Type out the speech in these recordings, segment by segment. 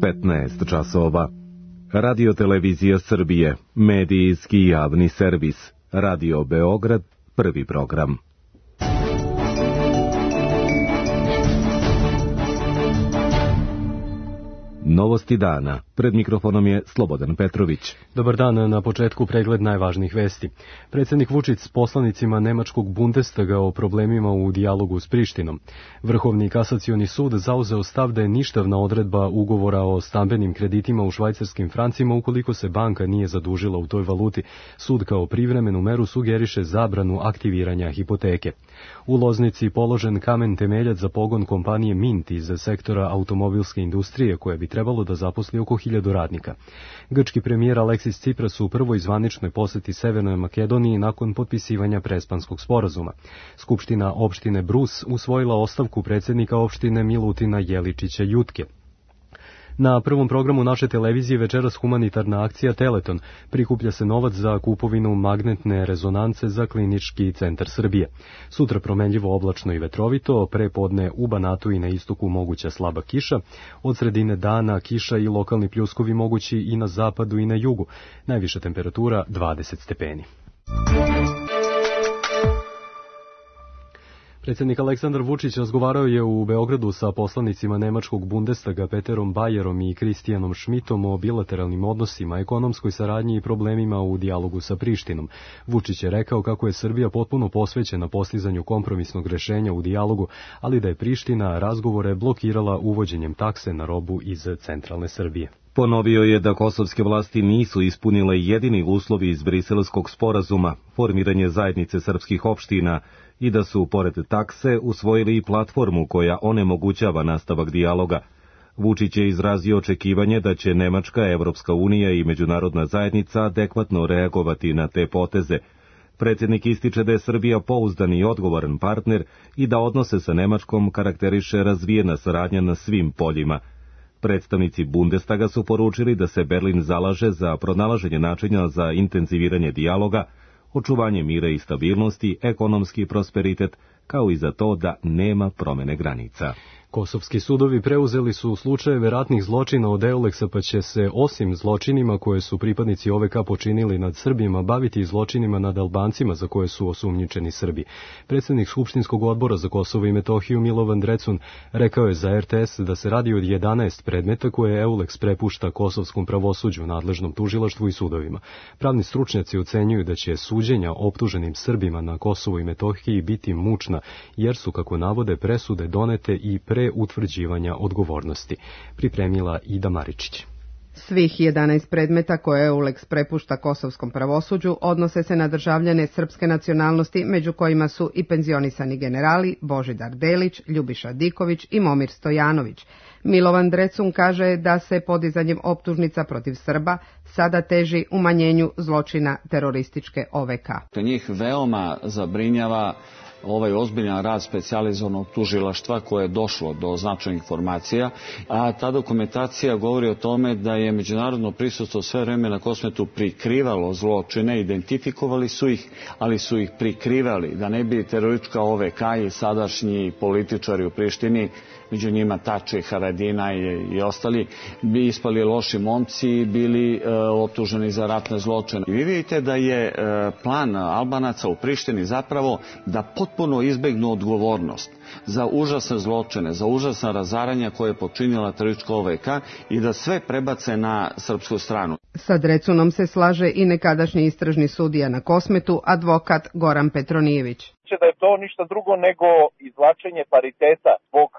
15 časova. Radio-televizija Srbije, medijski javni servis. Radio Beograd, prvi program. Novosti dana. Pred mikrofonom je Slobodan Petrović. Dobar dan, na početku pregled najvažnijih vesti. Predsjednik Vučić s poslanicima Nemačkog Bundestaga o problemima u dijalogu s Prištinom. Vrhovni kasacioni sud zauzeo stav da je ništavna odredba ugovora o stambenim kreditima u švajcarskim francima ukoliko se banka nije zadužila u toj valuti. Sud kao privremenu meru sugeriše zabranu aktiviranja hipoteke. U Loznici položen kamen temeljac za pogon kompanije Mint iz sektora automobilske industrije koja bi trebalo da zaposli oko 1000 radnika. Grčki premijer Aleksis Tsipras u prvoj zvaničnoj poseti Severnoj Makedoniji nakon potpisivanja Prespanskog sporazuma. Skupština opštine Brus usvojila ostavku predsjednika opštine Milutina Jeličića Jutke. Na prvom programu naše televizije večeras humanitarna akcija Teleton. Prikuplja se novac za kupovinu magnetne rezonance za Klinički centar Srbije. Sutra promenljivo oblačno i vetrovito, prepodne u Banatu i na istoku moguća slaba kiša. Od sredine dana kiša i lokalni pljuskovi mogući i na zapadu i na jugu. Najviša temperatura 20 stepeni. Predsjednik Aleksandar Vučić razgovarao je u Beogradu sa poslanicima Nemačkog Bundestaga Peterom Bajerom i Kristijanom Šmitom o bilateralnim odnosima, ekonomskoj saradnji i problemima u dijalogu sa Prištinom. Vučić je rekao kako je Srbija potpuno posvećena postizanju kompromisnog rešenja u dijalogu, ali da je Priština razgovore blokirala uvođenjem takse na robu iz centralne Srbije. Ponovio je da kosovske vlasti nisu ispunile jedini uslovi iz Briselskog sporazuma, formiranje zajednice srpskih opština, i da su, pored takse, usvojili i platformu koja onemogućava nastavak dijaloga. Vučić je izrazio očekivanje da će Nemačka, Evropska unija i međunarodna zajednica adekvatno reagovati na te poteze. Predsjednik ističe da je Srbija pouzdan i odgovoran partner i da odnose sa Nemačkom karakteriše razvijena saradnja na svim poljima. Predstavnici Bundestaga su poručili da se Berlin zalaže za pronalaženje načina za intenziviranje dijaloga, očuvanje mira i stabilnosti, ekonomski prosperitet, kao i za to da nema promene granica. Kosovski sudovi preuzeli su slučajeve ratnih zločina od Euleksa, pa će se osim zločinima koje su pripadnici OVK počinili nad Srbima baviti i zločinima nad Albancima za koje su osumnjičeni Srbi. Predsjednik Skupštinskog odbora za Kosovo i Metohiju Milovan Drecun rekao je za RTS da se radi od 11 predmeta koje Euleks prepušta kosovskom pravosuđu, nadležnom tužilaštvu i sudovima. Pravni stručnjaci ocenjuju da će suđenja optuženim Srbima na Kosovu i Metohiji biti mučna, jer su, kako navode, presude donete i pre utvrđivanja odgovornosti. Pripremila Ida Maričić. Svih 11 predmeta koje Euleks prepušta kosovskom pravosuđu odnose se na državljane srpske nacionalnosti, među kojima su i penzionisani generali Božidar Delić, Ljubiša Diković i Momir Stojanović. Milovan Drecun kaže da se podizanjem optužnica protiv Srba sada teži umanjenju zločina terorističke OVK. Njih veoma zabrinjava ovaj ozbiljan rad specijalizovanog tužilaštva koje je došlo do značajnih informacija, a ta dokumentacija govori o tome da je međunarodno prisustvo sve vreme na Kosmetu prikrivalo zločine, identifikovali su ih, ali su ih prikrivali, da ne bi teroristička OVK i sadašnji političari u Prištini, među njima Tači, Haradina i ostali, bi ispali loši momci i bili optuženi za ratne zločine. I vi vidite da je plan Albanaca u Prištini zapravo da potpuno izbegnu odgovornost za užasne zločine, za užasna razaranja koje je počinila teroristička OVK i da sve prebace na srpsku stranu. Sa Drecunom se slaže i nekadašnji istražni sudija na Kosmetu, advokat Goran Petronijević. Da je to ništa drugo nego izvlačenje pariteta zbog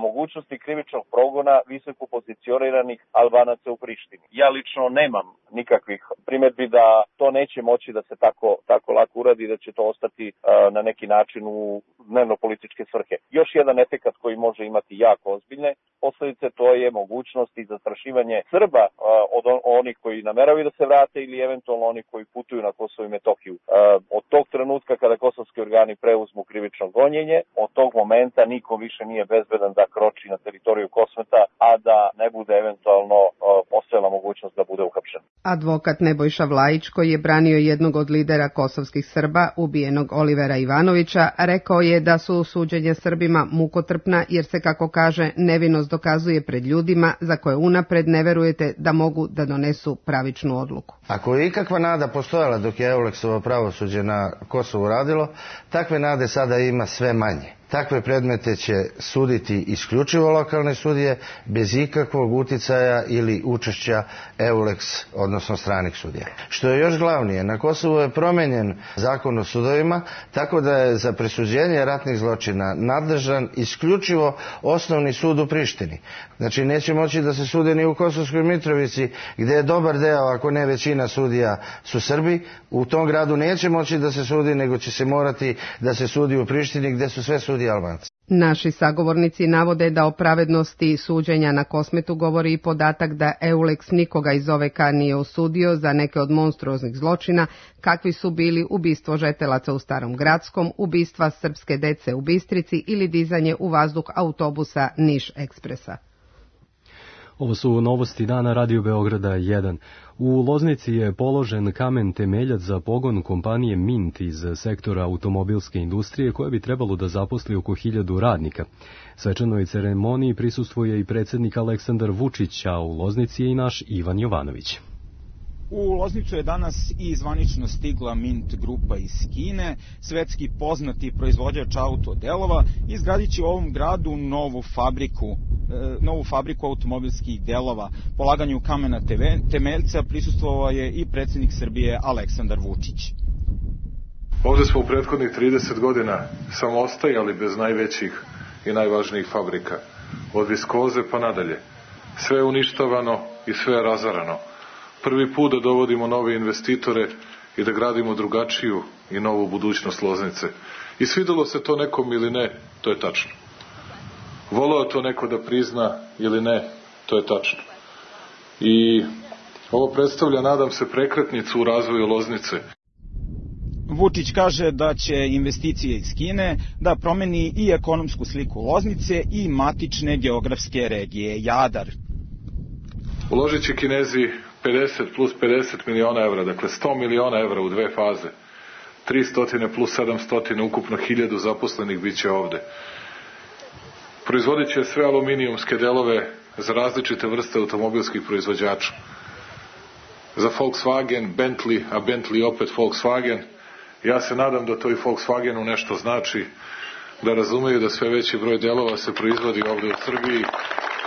mogućnosti krivičnog progona visoko pozicioniranih Albanaca u Prištini. Ja lično nemam nikakvih primjedbi da to neće moći da se tako lako uradi i da će to ostati na neki način u dnevno-političke svrhe. Još jedan efekat koji može imati jako ozbiljne posljedice, to je mogućnost i zastrašivanje Srba od onih koji nameravaju da se vrate ili eventualno oni koji putuju na Kosovo i Metohiju. Od tog trenutka kada kosovski organi preuzmu krivično gonjenje, od tog momenta niko više nije bezbedan da kroči na teritoriju Kosmeta, a da ne bude eventualno postojala mogućnost da bude uhapšen. Advokat Nebojša Vlajić, koji je branio jednog od lidera kosovskih Srba, ubijenog Olivera Ivanovića, rekao je da su suđenja Srbima mukotrpna jer se, kako kaže, nevinost istokazuje pred ljudima za koje unapred ne verujete da mogu da donesu pravičnu odluku. Ako je ikakva nada postojala dok je Euleksovo pravosuđe na Kosovu radilo, takve nade sada ima sve manje. Takve predmete će suditi isključivo lokalne sudije bez ikakvog uticaja ili učešća Euleks, odnosno stranih sudija. Što je još glavnije, na Kosovu je promenjen zakon o sudovima, tako da je za presuđenje ratnih zločina nadležan isključivo osnovni sud u Prištini. Znači neće moći da se sude ni u Kosovskoj Mitrovici, gdje je dobar deo, ako ne većina sudija su Srbi. U tom gradu neće moći da se sudi, nego će se morati da se sudi u Prištini, gdje su sve sudije Albanci. Naši sagovornici navode da o pravednosti suđenja na Kosmetu govori i podatak da Euleks nikoga iz OVK nije osudio za neke od monstruoznih zločina, kakvi su bili ubistvo žetelaca u Starom Gradskom, ubistva srpske dece u Bistrici ili dizanje u vazduh autobusa Niš Ekspresa. Ovo su novosti dana Radio Beograda 1. U Loznici je položen kamen temeljac za pogon kompanije Mint iz sektora automobilske industrije koja bi trebalo da zaposli oko 1000 radnika. Svečanoj ceremoniji prisustvuje i predsjednik Aleksandar Vučić, a u Loznici je i naš Ivan Jovanović. U Loznicu je danas i zvanično stigla Mint grupa iz Kine, svetski poznati proizvođač autodelova, izgradit će u ovom gradu novu fabriku automobilskih delova. Polaganju kamena temeljca prisustvovao je i predsjednik Srbije Aleksandar Vučić. Ovdje smo u prethodnih 30 godina samo ostajali bez najvećih i najvažnijih fabrika. Od viskoze pa nadalje. Sve je uništavano i sve je razarano. Prvi put da dovodimo nove investitore i da gradimo drugačiju i novu budućnost Loznice. I svidelo se to nekom ili ne, to je tačno. Voleo to neko da prizna ili ne, to je tačno. I ovo predstavlja, nadam se, prekretnicu u razvoju Loznice. Vučić kaže da će investicije iz Kine da promeni i ekonomsku sliku Loznice i matične geografske regije Jadar. Uložit će Kinezi 50 plus 50 miliona evra, dakle 100 miliona evra u 2 faze. 300 plus 700, ukupno 1000 zaposlenih bit će ovde. Proizvodit će sve aluminijumske delove za različite vrste automobilskih proizvođača. Za Volkswagen, Bentley, a Bentley opet Volkswagen. Ja se nadam da to i Volkswagenu nešto znači, da razumeju da sve veći broj delova se proizvodi ovde u Srbiji,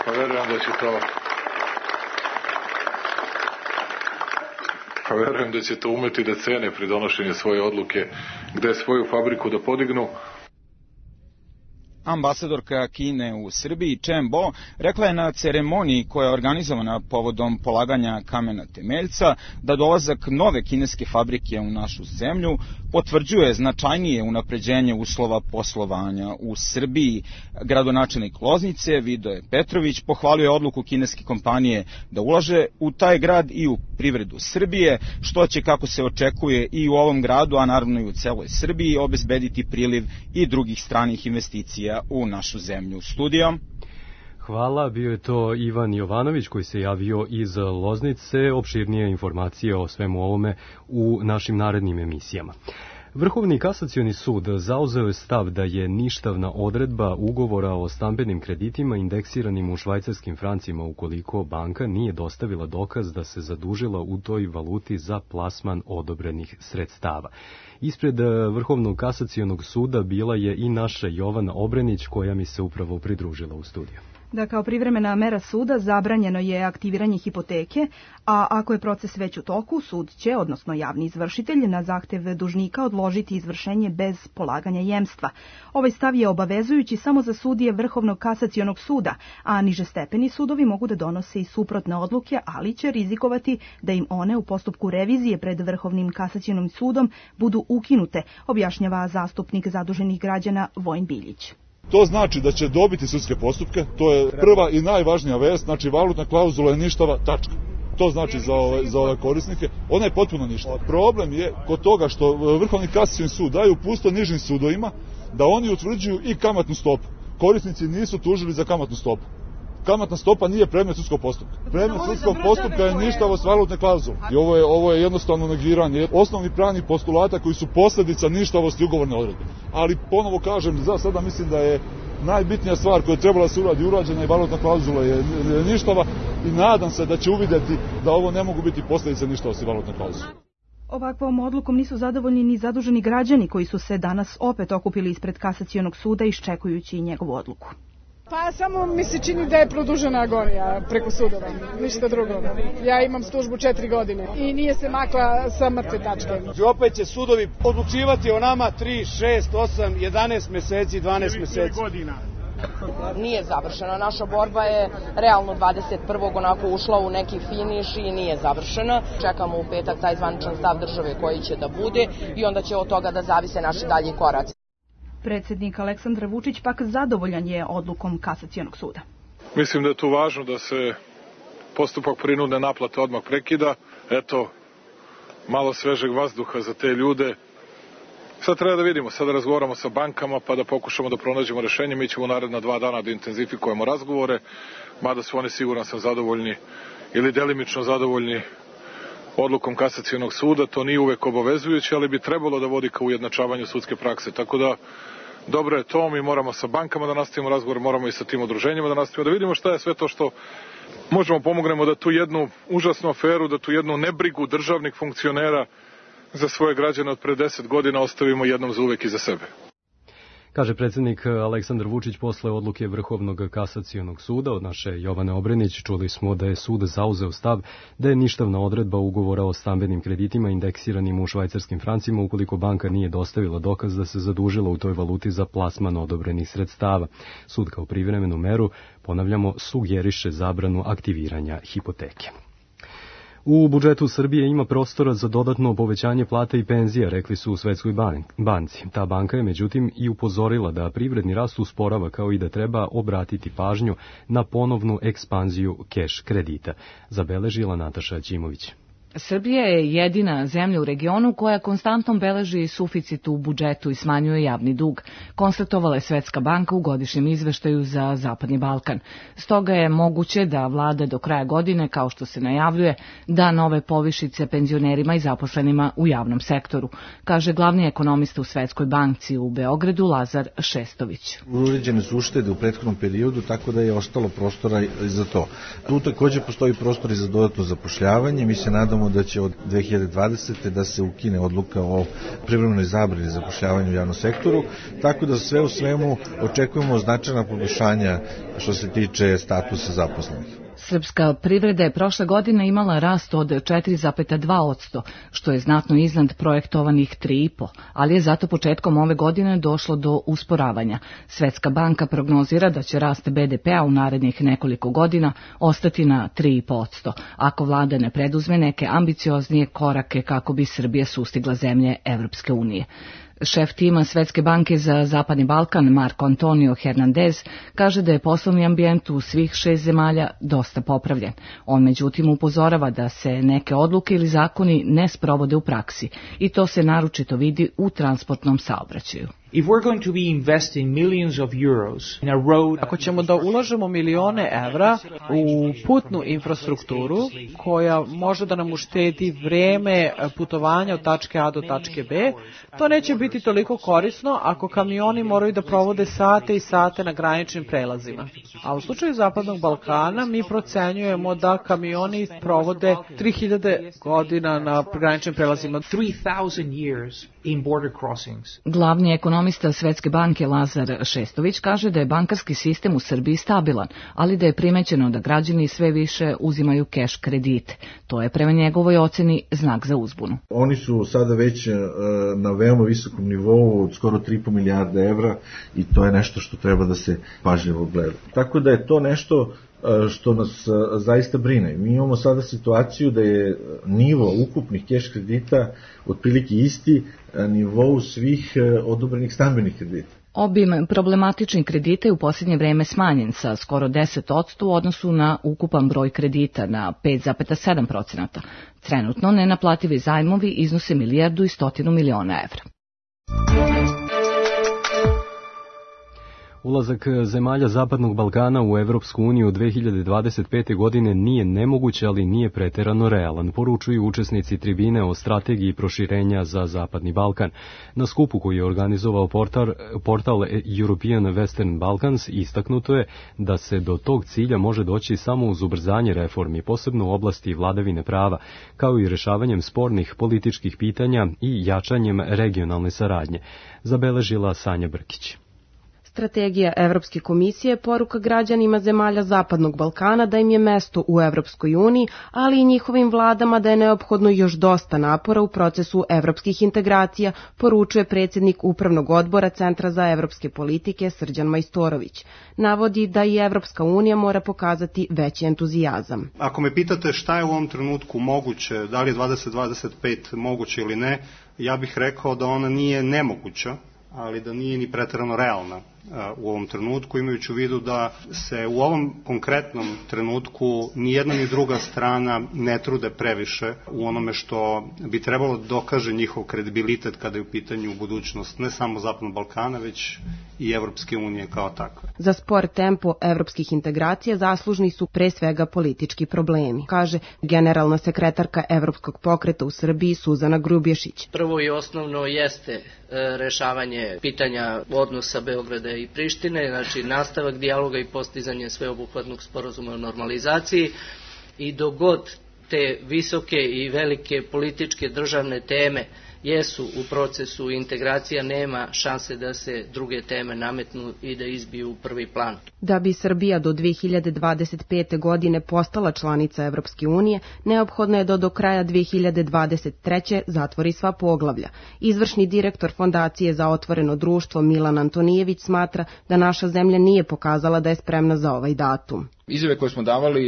pa verujem da će to umeti da cene pri donošenju svoje odluke, gde svoju fabriku da podignu. Ambasadorka Kine u Srbiji, Chen Bo, rekla je na ceremoniji koja je organizovana povodom polaganja kamena temeljca da dolazak nove kineske fabrike u našu zemlju potvrđuje značajnije unapređenje uslova poslovanja u Srbiji. Gradonačelnik Loznice, Vidoje Petrović, pohvalio je odluku kineske kompanije da ulaže u taj grad i u privredu Srbije, što će, kako se očekuje, i u ovom gradu, a naravno i u celoj Srbiji, obezbediti priliv i drugih stranih investicija u našu zemlju. Studio. Hvala, bio je to Ivan Jovanović koji se javio iz Loznice. Opširnije informacije o svemu ovome u našim narednim emisijama. Vrhovni kasacioni sud zauzeo je stav da je ništavna odredba ugovora o stambenim kreditima indeksiranim u švajcarskim francima ukoliko banka nije dostavila dokaz da se zadužila u toj valuti za plasman odobrenih sredstava. Ispred Vrhovnog kasacionog suda bila je i naša Jovana Obrenić koja mi se upravo pridružila u studiju. Da kao privremena mera suda zabranjeno je aktiviranje hipoteke, a ako je proces već u toku, sud će, odnosno javni izvršitelj, na zahtev dužnika odložiti izvršenje bez polaganja jemstva. Ovaj stav je obavezujući samo za sudije Vrhovnog kasacionog suda, a nižestepeni sudovi mogu da donose i suprotne odluke, ali će rizikovati da im one u postupku revizije pred Vrhovnim kasacionim sudom budu ukinute, objašnjava zastupnik zaduženih građana Vojin Biljić. To znači da će dobiti sudske postupke, to je prva i najvažnija vest, znači valutna klauzula je ništava, tačka. To znači za ove korisnike, ona je potpuno ništava. Problem je kod toga što Vrhovni kasacioni sud daju upustvo nižim sudovima da oni utvrđuju i kamatnu stopu. Korisnici nisu tužili za kamatnu stopu. Kamatna stopa nije predmet sudskog postupka. Predmet sudskog postupka je ništavost valutne klauzule. I ovo je jednostavno negiranje osnovnih pravnih postulata koji su posljedica ništavosti ugovorne odredbe. Ali ponovo kažem, za sada mislim najbitnija stvar koja je trebala se uradi urađena i valutna klauzula je ništava i nadam se da će uvidjeti da ovo ne mogu biti posljedice ništa osim valutne klauzule. Ovakvom odlukom nisu zadovoljni ni zaduženi građani koji su se danas opet okupili ispred kasacionog suda iščekujući njegovu odluku. Pa samo mi se čini da je produžena agonija preko sudova, ništa drugo. Ja imam službu 4 godine i nije se makla sa mrtve tačke. Opet će sudovi odlučivati o nama 3, 6, 8, 11 meseci, 12 meseci. Nije završena. Naša borba je realno 21. onako ušla u neki finiš i nije završena. Čekamo u petak taj zvaničan stav države koji će da bude i onda će od toga da zavise naši dalji koraci. Predsjednik Aleksandar Vučić pak zadovoljan je odlukom kasacionog suda. Mislim da je tu važno da se postupak prinudne naplate odmah prekida. Eto, malo svežeg vazduha za te ljude. Sad treba da vidimo, sad da razgovaramo sa bankama pa da pokušamo da pronađemo rešenje. Mi ćemo u naredna 2 dana da intenzifikujemo razgovore, mada su oni siguran sam zadovoljni ili delimično zadovoljni odlukom kasacionog suda. To nije uvek obavezujuće, ali bi trebalo da vodi ka ujednačavanju sudske prakse. Tako da, dobro je to, mi moramo sa bankama da nastavimo razgovor, moramo i sa tim udruženjima da nastavimo, da vidimo šta je sve to što možemo pomognemo da tu jednu užasnu aferu, da tu jednu nebrigu državnih funkcionera za svoje građane od pre 10 godina ostavimo jednom za uvek iza sebe. Kaže predsjednik Aleksandar Vučić posle odluke Vrhovnog kasacionog suda. Od naše Jovane Obrenić čuli smo da je sud zauzeo stav da je ništavna odredba ugovora o stambenim kreditima indeksiranim u švajcarskim francima ukoliko banka nije dostavila dokaz da se zadužila u toj valuti za plasman odobrenih sredstava. Sud kao privremenu meru, ponavljamo, sugeriše zabranu aktiviranja hipoteke. U budžetu Srbije ima prostora za dodatno povećanje plata i penzija, rekli su u Svetskoj banci. Ta banka je međutim i upozorila da privredni rast usporava kao i da treba obratiti pažnju na ponovnu ekspanziju keš kredita. Zabeležila Nataša Ćimović. Srbija je jedina zemlja u regionu koja konstantno beleži suficit u budžetu i smanjuje javni dug, konstatovala je Svetska banka u godišnjem izveštaju za Zapadni Balkan. Stoga je moguće da vlada do kraja godine, kao što se najavljuje, da nove povišice penzionerima i zaposlenima u javnom sektoru, kaže glavni ekonomista u Svetskoj banci u Beogradu Lazar Šestović. Uređene su uštede u prethodnom periodu, tako da je ostalo prostora za to. Tu također postoji prostor i za dodatno zapošljavanje. Mi se nadamo da će od 2020. da se ukine odluka o privremenoj zabrani zapošljavanja u javnom sektoru, tako da sve u svemu očekujemo značajna poboljšanja što se tiče statusa zaposlenih. Srpska privreda je prošle godine imala rast od 4,2%, što je znatno iznad projektovanih 3,5%, ali je zato početkom ove godine došlo do usporavanja. Svetska banka prognozira da će rast BDP-a u narednih nekoliko godina ostati na 3,5%, ako vlada ne preduzme neke ambicioznije korake kako bi Srbija sustigla zemlje Evropske unije. Šef tima Svetske banke za Zapadni Balkan, Marko Antonio Hernandez, kaže da je poslovni ambijent u svih 6 zemalja dosta popravljen. On međutim upozorava da se neke odluke ili zakoni ne sprovode u praksi i to se naročito vidi u transportnom saobraćaju. Ako ćemo da ulažemo milione evra u putnu infrastrukturu koja može da nam uštedi vreme putovanja od tačke A do tačke B, to neće biti toliko korisno ako kamioni moraju da provode sate i sate na graničnim prelazima. A u slučaju Zapadnog Balkana mi procenjujemo da kamioni provode 3000 godina na graničnim prelazima. 3000 years in border crossings. Glavni ekonomista Svetske banke Lazar Šestović kaže da je bankarski sistem u Srbiji stabilan, ali da je primećeno da građani sve više uzimaju keš kredite. To je prema njegovoj oceni znak za uzbunu. Oni su sada već na veoma visokom nivou od skoro 3,5 milijarde evra i to je nešto što treba da se pažljivo gleda. Tako da je to nešto što nas zaista brine. Mi imamo sada situaciju da je nivo ukupnih keš kredita otprilike isti nivou svih odobrenih stambenih kredita. Obim problematičnih kredita je u posljednje vreme smanjen sa skoro 10% u odnosu na ukupan broj kredita na 5,7%. Trenutno nenaplativi zajmovi iznose 1,1 milijardu evra. Ulazak zemalja Zapadnog Balkana u Evropsku uniju 2025. godine nije nemoguć, ali nije preterano realan, poručuju učesnici tribine o strategiji proširenja za Zapadni Balkan. Na skupu koji je organizovao portal European Western Balkans istaknuto je da se do tog cilja može doći samo uz ubrzanje reformi, posebno u oblasti vladavine prava, kao i rešavanjem spornih političkih pitanja i jačanjem regionalne saradnje, zabeležila Sanja Brkić. Strategija Evropske komisije poruka građanima zemalja Zapadnog Balkana da im je mesto u Evropskoj uniji, ali i njihovim vladama da je neophodno još dosta napora u procesu evropskih integracija, poručuje predsjednik Upravnog odbora Centra za evropske politike Srđan Majstorović. Navodi da i Evropska unija mora pokazati veći entuzijazam. Ako me pitate šta je u ovom trenutku moguće, da li je 2025 moguće ili ne, ja bih rekao da ona nije nemoguća, ali da nije ni preterano realna u ovom trenutku, imajući u vidu da se u ovom konkretnom trenutku ni jedna ni druga strana ne trude previše u onome što bi trebalo da dokaže njihov kredibilitet kada je u pitanju budućnost ne samo Zapadnog Balkana, već i Evropske unije kao takve. Za spor tempo evropskih integracija zaslužni su pre svega politički problemi, kaže generalna sekretarka Evropskog pokreta u Srbiji Suzana Grubješić. Prvo i osnovno jeste rešavanje pitanja odnosa Beograda i Prištine, znači nastavak dijaloga i postizanje sveobuhvatnog sporazuma o normalizaciji, i dogod te visoke i velike političke državne teme jesu u procesu integracija, nema šanse da se druge teme nametnu i da izbiju u prvi plan. Da bi Srbija do 2025. godine postala članica Evropske unije, neophodno je da do kraja 2023. zatvori sva poglavlja. Izvršni direktor Fondacije za otvoreno društvo Milan Antonijević smatra da naša zemlja nije pokazala da je spremna za ovaj datum. Izjave koje smo davali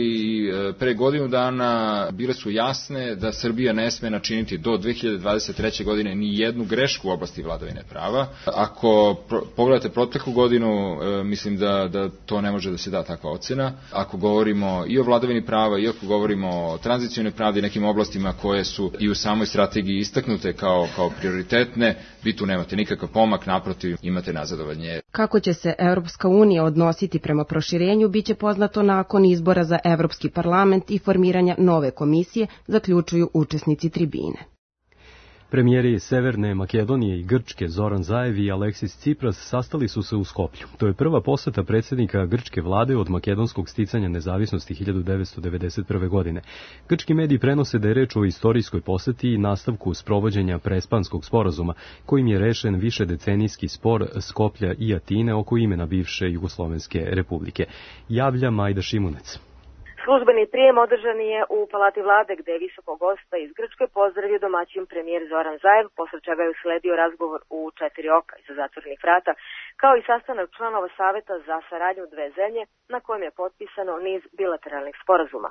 pre godinu dana bile su jasne da Srbija ne sme načiniti do 2023. godine ni jednu grešku u oblasti vladavine prava. Ako pogledate proteklu godinu, mislim da to ne može da se da takva ocena. Ako govorimo i o vladavini prava i ako govorimo o tranzicionoj pravdi i nekim oblastima koje su i u samoj strategiji istaknute kao prioritetne, vi tu nemate nikakav pomak, naprotiv imate nazadovanje. Kako će se Evropska unija odnositi prema proširenju, biće poznato nakon izbora za Evropski parlament i formiranja nove komisije, zaključuju učesnici tribine. Premijeri Severne Makedonije i Grčke Zoran Zaev i Aleksis Tsipras sastali su se u Skoplju. To je prva poseta predsjednika grčke vlade od makedonskog sticanja nezavisnosti 1991. godine. Grčki mediji prenose da je reč o istorijskoj poseti i nastavku sprovođenja Prespanskog sporazuma, kojim je rešen višedecenijski spor Skoplja i Atine oko imena bivše Jugoslovenske republike. Javlja Majda Šimunec. Službeni prijem održan je u Palati vlade, gde je visokog gosta iz Grčke pozdravio domaćin premijer Zoran Zaev, posle čega je usledio razgovor u 4 oka iza zatvorenih vrata, kao i sastanak članova Saveta za saradnju dve zemlje, na kojem je potpisano niz bilateralnih sporazuma.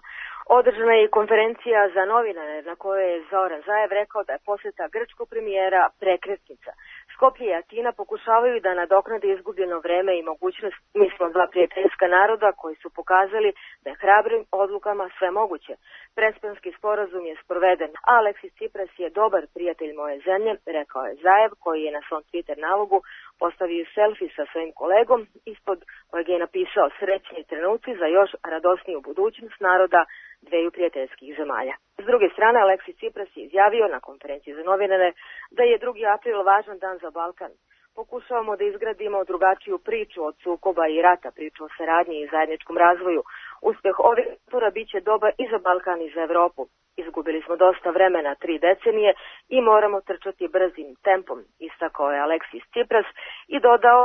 Održana je i konferencija za novinare na kojoj je Zoran Zaev rekao da je poseta grčkog premijera prekretnica. Skoplje i Atina pokušavaju da nadoknade izgubljeno vreme i mogućnost. Mi smo dva prijateljska naroda koji su pokazali da je hrabrim odlukama sve moguće. Prespanski sporazum je sproveden, a Aleksis Tsipras je dobar prijatelj moje zemlje, rekao je Zaev, koji je na svom Twitter nalogu postavio selfie sa svojim kolegom, ispod kojeg je napisao srećni trenuci za još radosniju budućnost naroda dveju prijateljskih zemalja. S druge strane, Aleksis Tsipras je izjavio na konferenciji za novinare da je 2. april važan dan za Balkan. Pokušavamo da izgradimo drugačiju priču od sukoba i rata, priču o saradnji i zajedničkom razvoju. Uspeh ovih napora biće dobar i za Balkan i za Evropu. Izgubili smo dosta vremena, 3 decenije, i moramo trčati brzim tempom, istakao je Aleksis Tsipras i dodao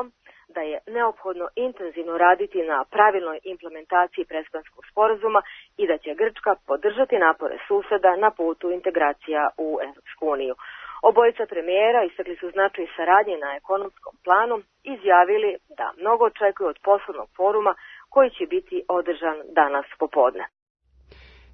da je neophodno intenzivno raditi na pravilnoj implementaciji Prespanskog sporazuma i da će Grčka podržati napore suseda na putu integracija u Evropsku uniju. Obojica premijera istakli su značaj saradnje na ekonomskom planu, izjavili da mnogo očekuju od poslovnog foruma koji će biti održan danas popodne.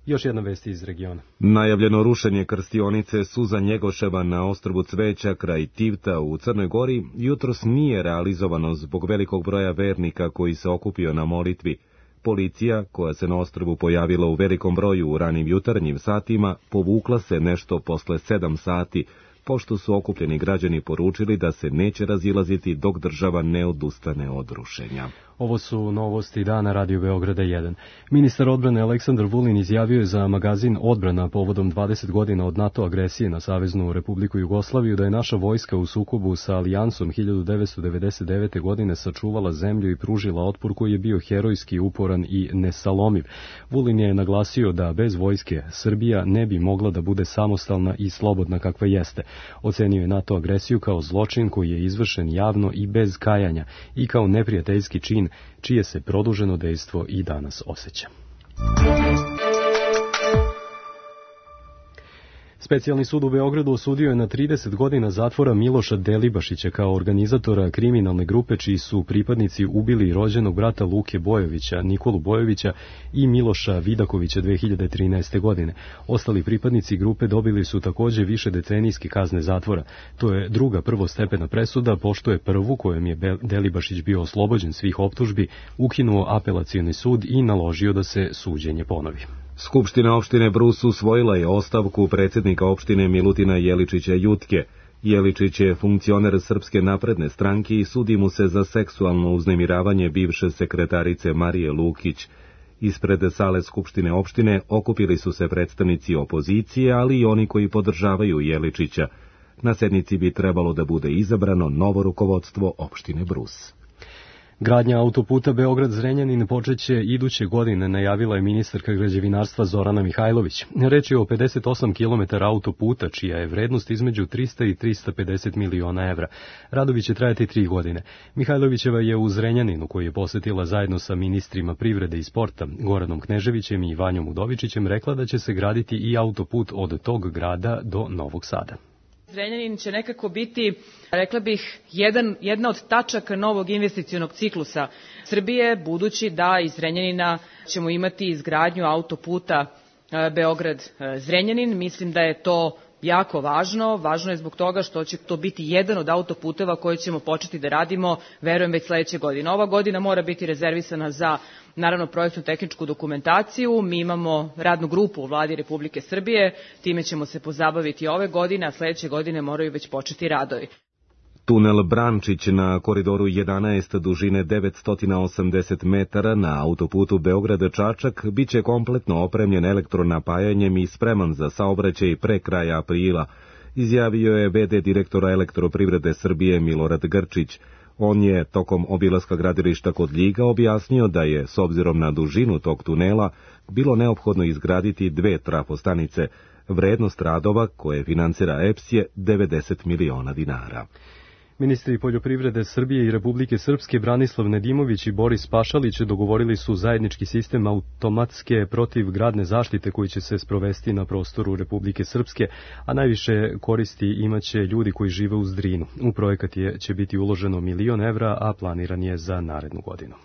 Još jedna vest iz regiona. Najavljeno rušenje krstionice Suza Njegoševa na ostrvu Cveća kraj Tivta u Crnoj Gori jutros nije realizovano zbog velikog broja vernika koji se okupio na molitvi. Policija, koja se na ostrvu pojavila u velikom broju u ranim jutarnjim satima, povukla se nešto posle 7 sati, pošto su okupljeni građani poručili da se neće razilaziti dok država ne odustane od rušenja. Ovo su novosti dana Radio Beograda 1. Ministar odbrane Aleksandar Vulin izjavio je za magazin Odbrana povodom 20 godina od NATO agresije na Saveznu Republiku Jugoslaviju da je naša vojska u sukobu sa Alijansom 1999. godine sačuvala zemlju i pružila otpor koji je bio herojski, uporan i nesalomiv. Vulin je naglasio da bez vojske Srbija ne bi mogla da bude samostalna i slobodna kakva jeste. Ocenio je NATO agresiju kao zločin koji je izvršen javno i bez kajanja i kao neprijateljski čin čije se produženo dejstvo i danas osjeća. Specijalni sud u Beogradu osudio je na 30 godina zatvora Miloša Delibašića kao organizatora kriminalne grupe čiji su pripadnici ubili rođenog brata Luke Bojovića, Nikolu Bojovića i Miloša Vidakovića 2013. godine. Ostali pripadnici grupe dobili su također višedecenijske kazne zatvora. To je druga prvostepena presuda, pošto je prvu, kojom je Delibašić bio oslobođen svih optužbi, ukinuo apelacioni sud i naložio da se suđenje ponovi. Skupština opštine Brus usvojila je ostavku predsjednika opštine Milutina Jeličića Jutke. Jeličić je funkcioner Srpske napredne stranke i sudi mu se za seksualno uznemiravanje bivše sekretarice Marije Lukić. Ispred sale Skupštine opštine okupili su se predstavnici opozicije, ali i oni koji podržavaju Jeličića. Na sednici bi trebalo da bude izabrano novo rukovodstvo opštine Brus. Gradnja autoputa Beograd-Zrenjanin počeće iduće godine, najavila je ministarka građevinarstva Zorana Mihajlović. Reč je o 58 km autoputa, čija je vrednost između 300 i 350 miliona evra. Radovi će trajati 3 godine. Mihajlovićeva je u Zrenjaninu, koji je posetila zajedno sa ministrima privrede i sporta, Goranom Kneževićem i Vanjom Udovičićem, rekla da će se graditi i autoput od tog grada do Novog Sada. Zrenjanin će nekako biti, rekla bih, jedna od tačaka novog investicionog ciklusa Srbije, budući da iz Zrenjanina ćemo imati izgradnju autoputa Beograd-Zrenjanin. Mislim da je to jako važno. Važno je zbog toga što će to biti jedan od autoputeva koji ćemo početi da radimo, verujem, već sledeće godine. Ova godina mora biti rezervisana za, naravno, projektnu tehničku dokumentaciju. Mi imamo radnu grupu u Vladi Republike Srbije, time ćemo se pozabaviti ove godine, a sledeće godine moraju već početi radovi. Tunel Brančić na koridoru 11 dužine 980 metara na autoputu Beograd-Čačak biće kompletno opremljen elektronapajanjem i spreman za saobraćaj pre kraja aprila, izjavio je v.d. direktora Elektroprivrede Srbije Milorad Grčić. On je tokom obilaska gradilišta kod Ljiga objasnio da je, s obzirom na dužinu tog tunela, bilo neophodno izgraditi 2 trafostanice. Vrednost radova koje financira EPS je 90 miliona dinara. Ministri poljoprivrede Srbije i Republike Srpske Branislav Nedimović i Boris Pašalić dogovorili su zajednički sistem automatske protivgradne zaštite koji će se sprovesti na prostoru Republike Srpske, a najviše koristi imaće ljudi koji žive uz Drinu. U projekat će biti uloženo 1 milion evra, a planiran je za narednu godinu.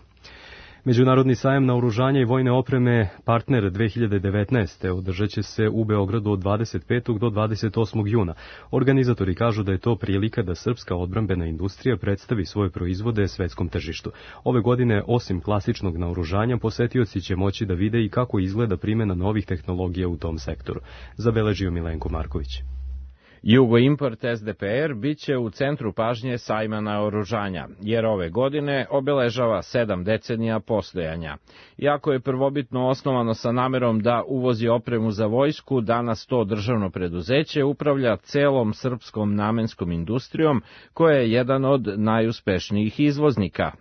Međunarodni sajam naoružanja i vojne opreme Partner 2019. održat će se u Beogradu od 25. do 28. juna. Organizatori kažu da je to prilika da srpska odbrambena industrija predstavi svoje proizvode svetskom tržištu. Ove godine, osim klasičnog naoružanja, posetioci će moći da vide i kako izgleda primjena novih tehnologija u tom sektoru. Zabeležio Milenko Marković. Jugoimport SDPR biće u centru pažnje sajma naoružanja, jer ove godine obeležava 7 decenija postojanja. Iako je prvobitno osnovano sa namerom da uvozi opremu za vojsku, danas to državno preduzeće upravlja celom srpskom namenskom industrijom, koja je jedan od najuspešnijih izvoznika.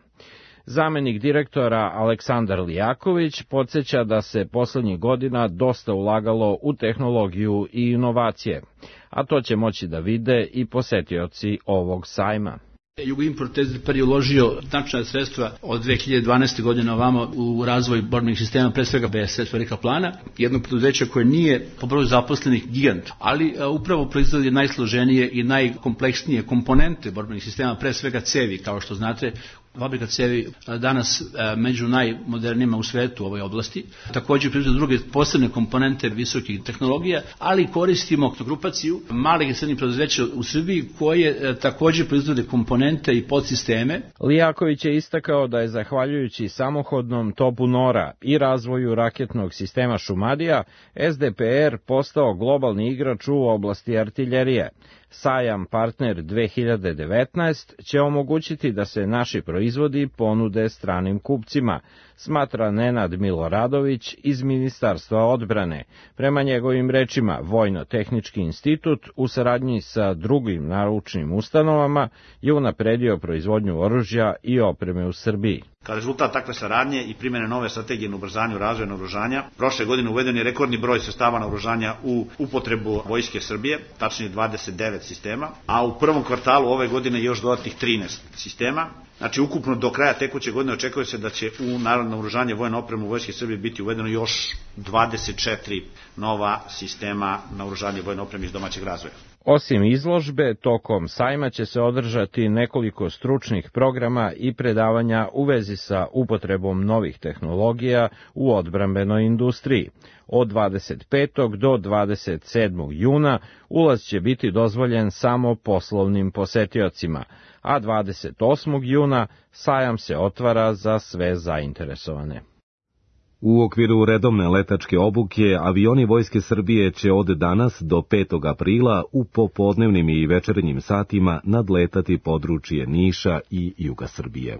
Zamenik direktora Aleksandar Lijaković podsjeća da se poslednjih godina dosta ulagalo u tehnologiju i inovacije, a to će moći da vide i posetioci ovog sajma. Jugoimport SDPR je uložio značajna sredstva od 2012. godine ovamo u razvoj borbenih sistema, pre svega BSS Velika Plana, jedno preduzeće koje nije po broju zaposlenih gigant, ali upravo proizvodi najsloženije i najkompleksnije komponente borbenih sistema, pre svega cevi, kao što znate. Fabrika cevi danas među najmodernijima u svetu u ovoj oblasti. Također proizvode druge posebne komponente visokih tehnologija, ali koristimo grupaciju malih i srednjih preduzeća u Srbiji koje također proizvode komponente i podsisteme. Lijaković je istakao da je zahvaljujući samohodnom topu Nora i razvoju raketnog sistema Šumadija, SDPR postao globalni igrač u oblasti artiljerije. Sajam Partner 2019 će omogućiti da se naši proizvodi ponude stranim kupcima, smatra Nenad Miloradović iz Ministarstva odbrane. Prema njegovim rečima, Vojno-tehnički institut u saradnji sa drugim naučnim ustanovama je unapredio proizvodnju oružja i opreme u Srbiji. Kao rezultat takve saradnje i primjene nove strategije na ubrzanju razvoja naoružanja, prošle godine uveden je rekordni broj sredstava naoružanja u upotrebu Vojske Srbije, tačnije 29 sistema, a u prvom kvartalu ove godine još dodatnih 13 sistema. Znači, ukupno do kraja tekuće godine očekuje se da će u narodno naoružanje vojne opreme u Vojske Srbije biti uvedeno još 24 nova sistema naoružanja vojne opreme iz domaćeg razvoja. Osim izložbe, tokom sajma će se održati nekoliko stručnih programa i predavanja u vezi sa upotrebom novih tehnologija u odbrambenoj industriji. Od 25. do 27. juna ulaz će biti dozvoljen samo poslovnim posetiocima, a 28. juna sajam se otvara za sve zainteresovane. U okviru redovne letačke obuke, avioni Vojske Srbije će od danas do 5. aprila u popodnevnim i večernjim satima nadletati područje Niša i juga Srbije.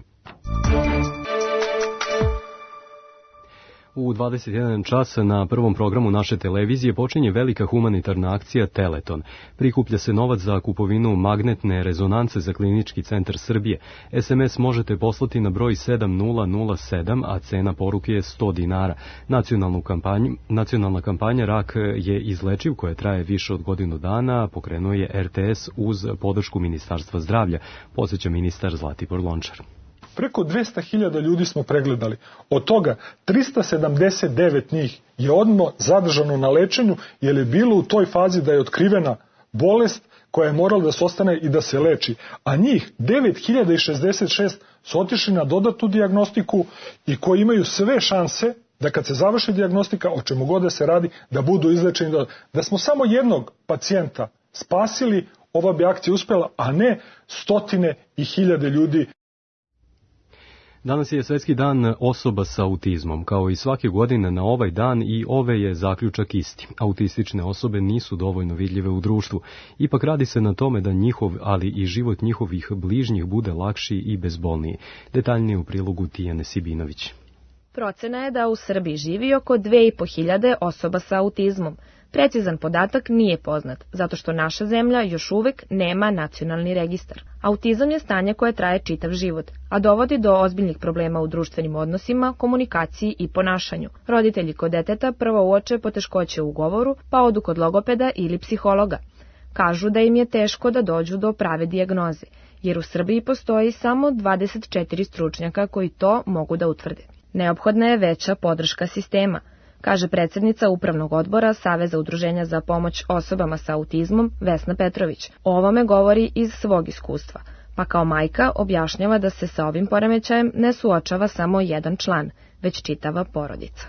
U 21 čas na prvom programu naše televizije počinje velika humanitarna akcija Teleton. Prikuplja se novac za kupovinu magnetne rezonance za Klinički centar Srbije. SMS možete poslati na broj 7007, a cena poruke je 100 dinara. Nacionalna kampanja Rak je izlečiv, koja traje više od godinu dana, pokrenuo je RTS uz podršku Ministarstva zdravlja, podsjeća ministar Zlatibor Lončar. Preko 200.000 ljudi smo pregledali. Od toga 379 njih je odmah zadržano na lečenju jer je bilo u toj fazi da je otkrivena bolest koja je morala da se ostane i da se leči. A njih 9.066 su otišli na dodatnu dijagnostiku i koji imaju sve šanse da kad se završi dijagnostika, o čemu god da se radi, da budu izlečeni. Da smo samo jednog pacijenta spasili, ova bi akcija uspjela, a ne stotine i hiljade ljudi. Danas je Svetski dan osoba sa autizmom. Kao i svake godine na ovaj dan i ove je zaključak isti. Autistične osobe nisu dovoljno vidljive u društvu. Ipak radi se na tome da njihov, ali i život njihovih bližnjih bude lakši i bezbolniji. Detaljnije u prilogu Tijane Sibinović. Procena je da u Srbiji živi oko 2.500 osoba sa autizmom. Precizan podatak nije poznat, zato što naša zemlja još uvek nema nacionalni registar. Autizam je stanje koje traje čitav život, a dovodi do ozbiljnih problema u društvenim odnosima, komunikaciji i ponašanju. Roditelji kod deteta prvo uoče poteškoće u govoru, pa odu kod logopeda ili psihologa. Kažu da im je teško da dođu do prave dijagnoze, jer u Srbiji postoji samo 24 stručnjaka koji to mogu da utvrde. Neophodna je veća podrška sistema, kaže predsjednica Upravnog odbora Saveza udruženja za pomoć osobama sa autizmom Vesna Petrović. O ovome govori iz svog iskustva, pa kao majka objašnjava da se sa ovim poremećajem ne suočava samo jedan član, već čitava porodica.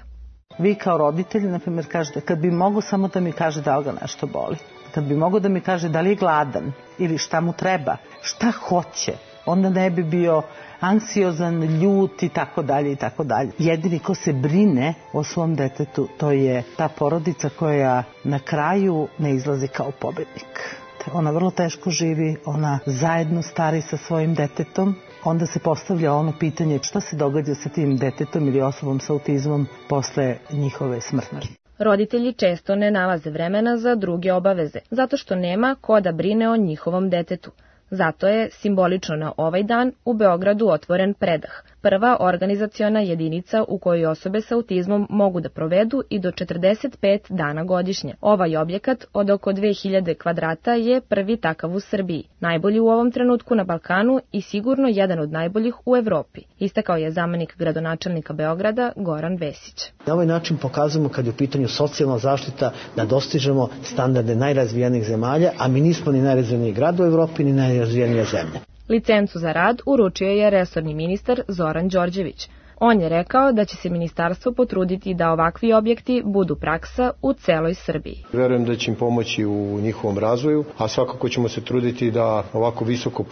Vi kao roditelji, na primjer, kažete, kad bi mogo samo da mi kaže da li ga nešto boli, kad bi mogo da mi kaže da li je gladan ili šta mu treba, šta hoće, onda ne bi bio anksiozan, ljut i tako dalje i tako dalje. Jedini ko se brine o svom detetu, to je ta porodica koja na kraju ne izlazi kao pobednik. Ona vrlo teško živi, ona zajedno stari sa svojim detetom, onda se postavlja ono pitanje šta se događa sa tim detetom ili osobom sa autizmom posle njihove smrti. Roditelji često ne nalaze vremena za druge obaveze, zato što nema ko da brine o njihovom detetu. Zato je simbolično na ovaj dan u Beogradu otvoren Predah, prva organizaciona jedinica u kojoj osobe sa autizmom mogu da provedu i do 45 dana godišnje. Ovaj objekat od oko 2000 kvadrata je prvi takav u Srbiji, najbolji u ovom trenutku na Balkanu i sigurno jedan od najboljih u Evropi, istakao je zamenik gradonačelnika Beograda Goran Vesić. Na ovaj način pokazujemo kad je u pitanju socijalna zaštita da dostižemo standarde najrazvijenijih zemalja, a mi nismo ni najrazvijeniji grad u Evropi, ni najrazvijenija zemlja. Licencu za rad uručio je resorni ministar Zoran Đorđević. On je rekao da će se ministarstvo potruditi da ovakvi objekti budu praksa u celoj Srbiji. Verujem da će im pomoći u njihovom razvoju, a svakako ćemo se truditi da ovako visoko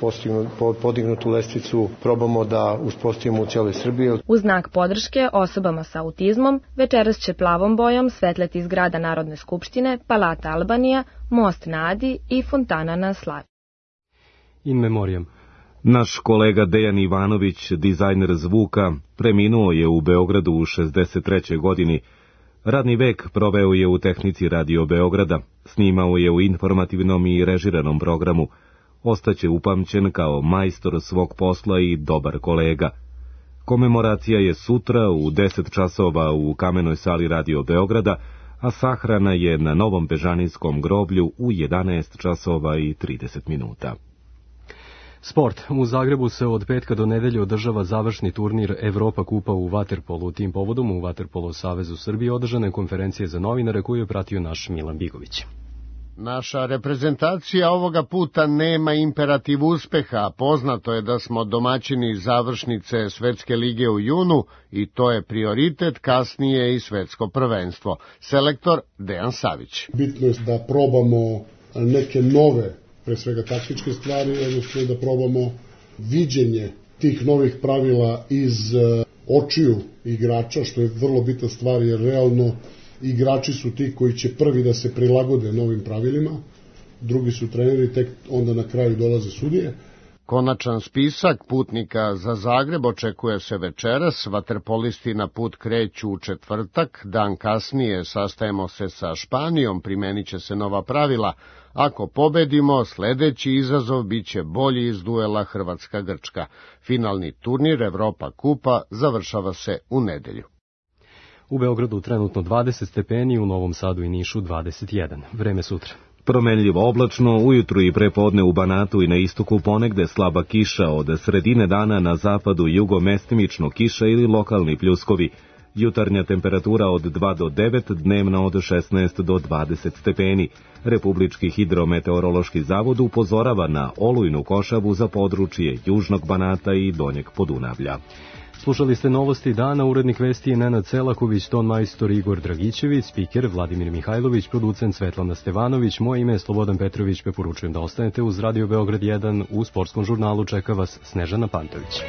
podignutu lestvicu probamo da uspostavimo u celoj Srbiji. U znak podrške osobama sa autizmom, večeras će plavom bojom svetleti zgrada Narodne skupštine, Palata Albanija, Most na Adi i Fontana na Slavi. In memoriam. Naš kolega Dejan Ivanović, dizajner zvuka, preminuo je u Beogradu u 63. godini. Radni vek proveo je u tehnici Radio Beograda, snimao je u informativnom i režiranom programu. Ostaće upamćen kao majstor svog posla i dobar kolega. Komemoracija je sutra u 10 časova u Kamenoj sali Radio Beograda, a sahrana je na Novom Bežanijskom groblju u 11 časova i 30 minuta. Sport. U Zagrebu se od petka do nedelje održava završni turnir Evropa kupa u vaterpolu. Tim povodom u Vaterpolo Savezu Srbije održane konferencije za novinare koju je pratio naš Milan Bigović. Naša reprezentacija ovoga puta nema imperativ uspeha, poznato je da smo domaćini završnice Svetske lige u junu i to je prioritet, kasnije i svetsko prvenstvo. Selektor Dejan Savić. Bitno je da probamo neke nove, pre svega taktičke stvari, odnosno da probamo viđenje tih novih pravila iz očiju igrača, što je vrlo bitna stvar, jer realno igrači su ti koji će prvi da se prilagode novim pravilima, drugi su treneri, tek onda na kraju dolaze sudije. Konačan spisak putnika za Zagreb očekuje se večeras, vaterpolisti na put kreću u četvrtak, dan kasnije sastajemo se sa Španijom, primenit će se nova pravila. Ako pobedimo, sledeći izazov biće bolji iz duela Hrvatska-Grčka. Finalni turnir Evropa kupa završava se u nedelju. U Beogradu trenutno 20 stepeni, u Novom Sadu i Nišu 21. Vreme sutra. Promenljivo oblačno, ujutru i prepodne u Banatu i na istoku ponegde slaba kiša, od sredine dana na zapadu i jugo mestimično kiša ili lokalni pljuskovi. Jutarnja temperatura od 2 do 9, dnevna od 16 do 20 stepeni. Republički hidrometeorološki zavod upozorava na olujnu košavu za područje Južnog Banata i Donjeg Podunavlja. Slušali ste novosti dana, urednik vesti je Nenad Selaković, ton majstor Igor Dragićević, spiker Vladimir Mihajlović, producent Svetlana Stevanović, moje ime je Slobodan Petrović, preporučujem da ostanete uz Radio Beograd 1, u sportskom žurnalu čeka vas Snežana Pantović.